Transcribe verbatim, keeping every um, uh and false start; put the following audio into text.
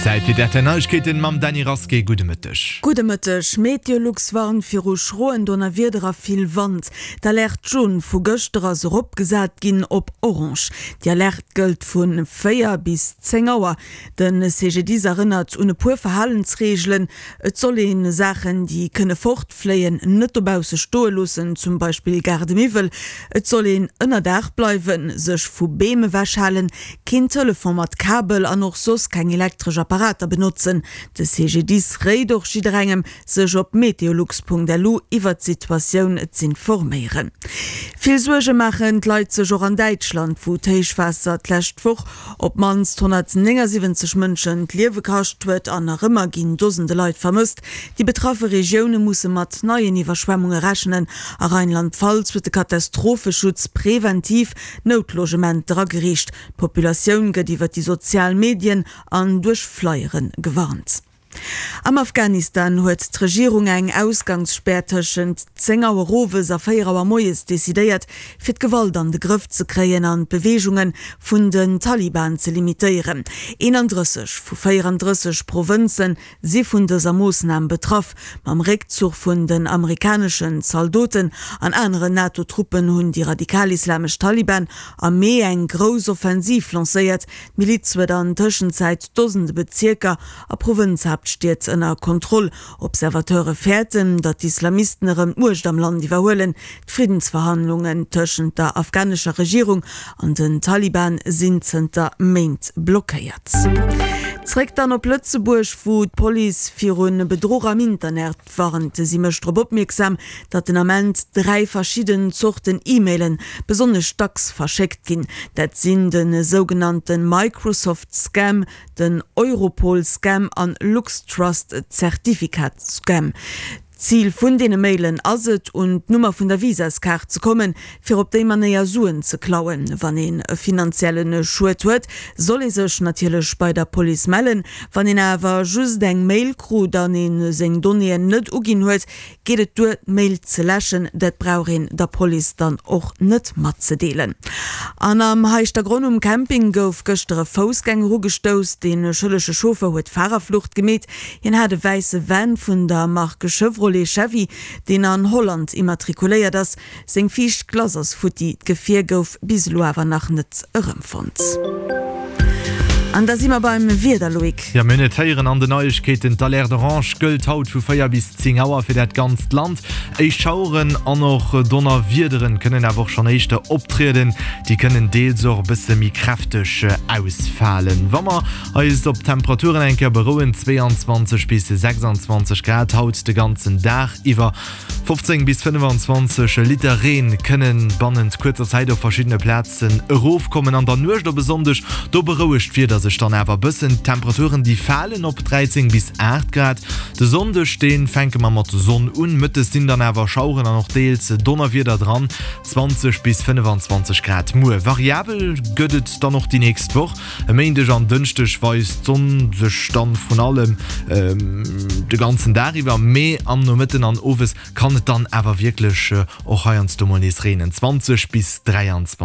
Zäit fir d'R T L Neiegkeeten mam Dany Rasqué. Gudde Mëtteg. Gudde Mëtteg. Meteolux warnt viru schroen Donnerwieder a vill Wand. D'Alerte jaune vu gëschter ass eropgesat ginn op orange. Déi Alerte gëllt vu véier bis zéng Auer. De C G D I S erënnert un e puer Verhalensreegelen. Et soll ee Saachen, déi kënne fortfléien, net dobausse stoe loossen, zum Beispill Gaardemiwwel. Et soll een ënnerdaach bleiwen, sech vu Beem ewechhalen, keen Telefon mat Kabel an och soss keng elektresch Apparater benotzen. De C G D I S réit och jidderengem, sech op meteolux Punkt L U iwwer d'Situatioun z'informéieren. Vill Suerge maachen d'Leit sech och an Däitschland, wou d'Héichwaasser d'lescht Woch op d'mannst honnertnéngesiwwenzeg Mënschen d'Liewe kascht huet an nach ëmmer ginn Dosende Leit vermësst. Déi betraffe Regioune musse mat neien Iwwerschwemmunge rechnen. A Rheinland-Pfalz huet de Katastropheschutz preventiv Noutlogementer ageriicht. D'Populatioun gëtt iwwer déi sozial Medien an duerch Flyere gewarnt. Am Afghanistan huet d'Regierung eng Ausgangsspär tëschent zéng Auer owes a véier Auer moies decidéiert, fir d'Gewalt an de Grëff ze kréien an d'Beweegunge vun den Taliban ze limitéieren. eenandrësseg vu véierandrësseg Provënze si vun dëser Moossnam betraff. Mam Réckzuch vun den amerikaneschen Zaldoten an aneren NATO-Truppen hunn déi radikalislamesch Taliban am Mee eng grouss Offensiv lancéiert. D'Miliz huet an Tëschenzäit Dosende Bezierker a Provënzhaaptstied ënner Kontroll. Observateure fäerten, datt d'Islamisten erëm d'Muecht am Land iwwerhuelen. D'Friddensverhandlungen tëschent der afghanescher Regierung an den Taliban sinn zënter Méint blockéiert. Zréck dann op Lëtzebuerg, wou d'Police viru Bedruch am Internet warnt. Si mécht drop opmierksam, datt den Ament dräi verschidden Zorten E-Mailen besonnesch dacks verschéckt ginn. Dat sinn de sougenannte Microsoft Scam, den Europol Scam an LuxTrust Zertifikat Scam. Zil vun deene Mailen ass et, un d'Nummer vun der Visaskaart ze kommen, fir op déi Manéier Suen ze klauen. Wann een e finanzielle Schued huet, soll ee sech natierlech bei der Police mellen. Wann een awer just eng Mail krut an ee seng Donnéeën net uginn huet, geet et duer, d'Mail ze läschen. Dat brauch een der Police dann och net matzedeelen. An am Heischtergronn um Camping gouf gëschter e Foussgänger ugestouss. De schëllege Chauffer huet Farerflucht gemeet. Hien hat e wäisse Van vun der Mark Chevrolet Chevy, deen an Holland immatrikuléiert ass. Seng viischt Glace ass futti. D'Gefier gouf bis elo awer nach net erëmfonnt. An da si mer beim Wieder, Loïc. Jo, mir hunn et héieren an den Neiegkeeten, D'Alerte orange gëllt haut vu véier bis zéng Auer fir dat ganzt Land. Éischt Schaueren an och Donnerwiederen kënnen awer och schonn éischter optrieden. Déi kënnen deels och e bësse méi kräfteg ausfalen. Wa mer eis op d'Temperaturen eng Kéier berouen, zwéianzwanzeg bis sechsanzwanzeg Grad haut de ganzen Dag iwwer. fofzéng bis fënnefenzwanzeg Liter Reen kënnen bannent kuerzer Zäit op verschiddene Plazen erofkommen. An der Nuecht op e Sonndeg, do berouegt d'Wieder sech dann awer e bëssen. D'Temperaturen déi falen op dräizéng bis aacht Grad. De Sonndeg, dee fänke mer mat Sonn un, mëttes sinn dann awer Schaueren an och deels Donnerwieder dran, zwanzeg bis fënnefenzwanzeg Grad. Muer variabel gëtt et dann och déi nächst Woch. E Méindeg an Dënschdeg weist d'Sonn sech dann vrun allem de ganzen Dag iwwer, mee am Nomëtten an Owes kann et dann awer wierklech och heiansdo mol nees reenen, zwanzeg bis dräianzwanzeg.